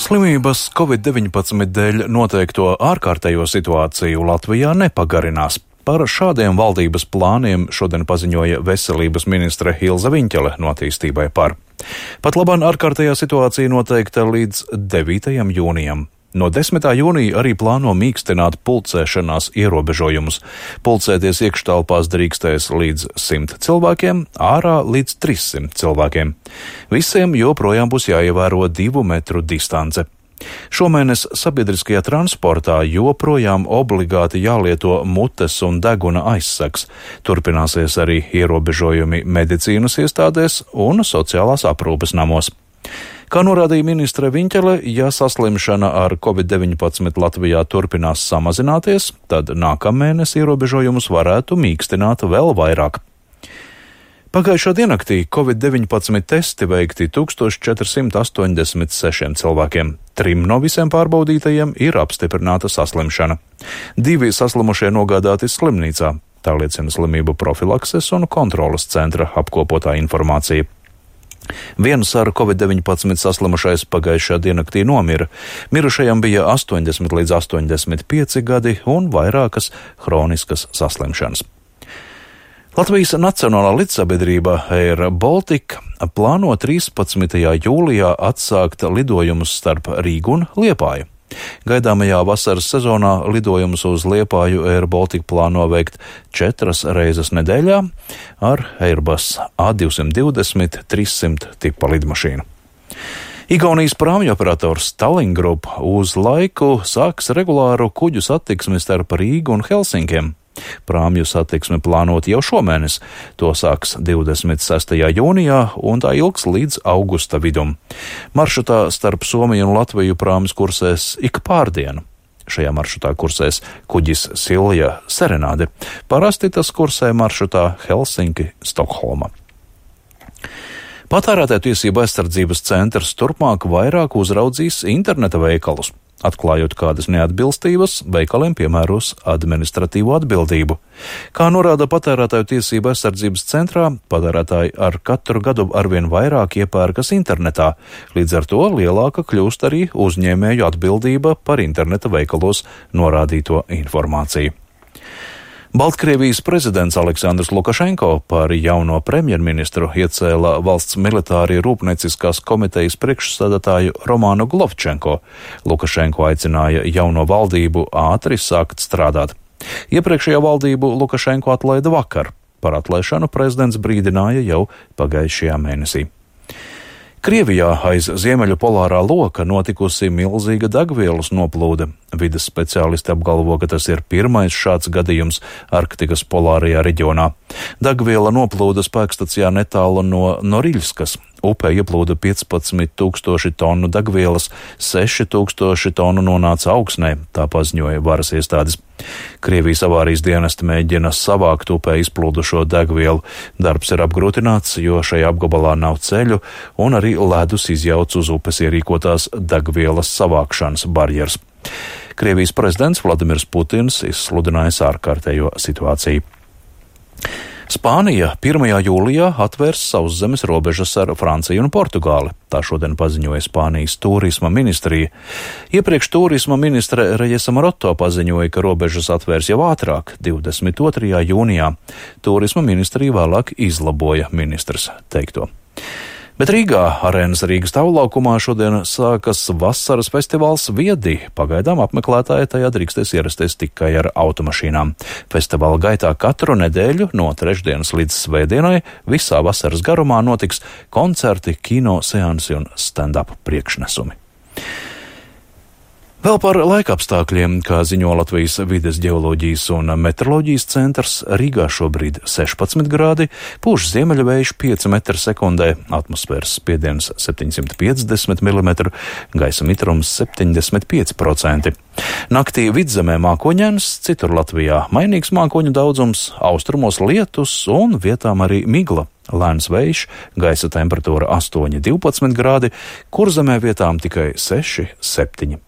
Slimības Covid-19 dēļ noteikto ārkārtējo situāciju Latvijā nepagarinās. Par šādiem valdības plāniem šodien paziņoja veselības ministre Ilze Viņķele no Attīstībai par. Pat labāk ārkārtējā situācija noteikta līdz 9. jūnijam. No 10. jūnija arī plāno mīkstināt pulcēšanās ierobežojumus. Pulcēties iekštelpās drīkstēs līdz 100 cilvēkiem, ārā līdz 300 cilvēkiem. Visiem joprojām būs jāievēro 2 metru distance. Šomēnes sabiedriskajā transportā joprojām obligāti jālieto mutes un deguna aizsegs. Turpināsies arī ierobežojumi medicīnas iestādēs un sociālās aprūpes namos. Kā norādīja ministre Viņķele, ja saslimšana ar Covid-19 Latvijā turpinās samazināties, tad nākamēnes ierobežojumus varētu mīkstināt vēl vairāk. Pagājušā diennaktī Covid-19 testi veikti 1486 cilvēkiem. 3 no visiem pārbaudītajiem ir apstiprināta saslimšana. 2 saslimušie nogādāti slimnīcā, tā liecina slimību profilakses un kontroles centra apkopotā informācija. Viens ar Covid-19 saslimušais pagājušā diennaktī nomira. Mirušajam bija 80 līdz 85 gadi un vairākas hroniskas saslimšanas. Latvijas Nacionālā lidsabiedrība Air Baltica plāno 13. jūlijā atsākt lidojumus starp Rīgu un Liepāju. Gaidāmajā vasaras sezonā lidojumus uz Liepāju Air Baltica plāno veikt 4 reizes nedēļā ar Airbus A220-300 tipa lidmašīnu. Igaunijas prāmju operators Tallink Grupp uz laiku sāks regulāru kuģu satiksmi starp Rīgu un Helsinkiem. Prāmju satiksme plānot jau šomēnes, to sāks 26. jūnijā un tā ilgs līdz augusta vidum. Maršrutā starp Somiju un Latviju prāmis kursēs ik pārdienu. Šajā maršrutā kursēs kuģis Silja Serenāde. Parasti tas kursē maršrutā Helsinki-Stokholma. Patērētāju tiesību aizsardzības centrs turpmāk vairāk uzraudzīs interneta veikalus. Atklājot kādas neatbilstības, veikaliem piemēros administratīvo atbildību. Kā norāda patērētāju tiesību aizsardzības centrā, patērētāji ar katru gadu arvien vairāk iepērkas internetā, līdz ar to lielāka kļūst arī uzņēmēju atbildība par interneta veikalos norādīto informāciju. Baltkrievijas prezidents Aleksandrs Lukašenko par jauno premjerministru iecēla valsts militāri rūpnieciskās komitejas priekšsēdētāju Romānu Glovčenko. Lukašenko aicināja jauno valdību ātri sākt strādāt. Iepriekšējā valdību Lukašenko atlaida vakar. Par atlaišanu prezidents brīdināja jau pagājušajā mēnesī. Krievijā aiz ziemeļu polārā loka notikusi milzīga degvielas noplūde. Vides speciālisti apgalvo, ka tas ir pirmais šāds gadījums Arktikas polārajā reģionā. Degviela noplūda spēkstacijā netālu no Noriļskas. Upē ieplūda 15,000 tonu degvielas, 6,000 tonu nonāca augsnē, tā paziņoja varas iestādes. Krievijas avārijas dienesti mēģina savākt upē izplūdušo degvielu. Darbs ir apgrūtināts, jo šajā apgabalā nav ceļu un arī ledus izjauc uz upes ierīkotās degvielas savākšanas barjeras. Krievijas prezidents Vladimirs Putins izsludinājis ārkārtējo situāciju. Spānija 1. jūlijā atvērs sauszemes robežas ar Franciju un Portugāli. Tā šodien paziņoja Spānijas turisma ministrija. Iepriekš turisma ministre Rejesa Maroto paziņoja, ka robežas atvērs jau ātrāk, 22. jūnijā. Turisma ministrija vēlāk izlaboja ministrs teikto. Bet Rīgā, Arēnas Rīgas tavlaukumā šodien sākas vasaras festivāls Viedi. Pagaidām apmeklētāji tajā drīkstēs ierasties tikai ar automašīnām. Festivāla gaitā katru nedēļu no trešdienas līdz svētdienai visā vasaras garumā notiks koncerti, kino seansi un stand-up priekšnesumi. Vēl par laikapstākļiem, kā ziņo Latvijas vides ģeoloģijas un meteoroloģijas centrs, Rīgā šobrīd 16 grādi, pūš ziemeļvējš 5 metri sekundē, atmosfēras spiediens 750 mm, gaisa mitrums 75%. Naktī vidzemē mākoņains, citur Latvijā mainīgs mākoņu daudzums, austrumos lietus un vietām arī migla. Lēns vējš, gaisa temperatūra 8–12 grādi, Kurzemē vietām tikai 6–7.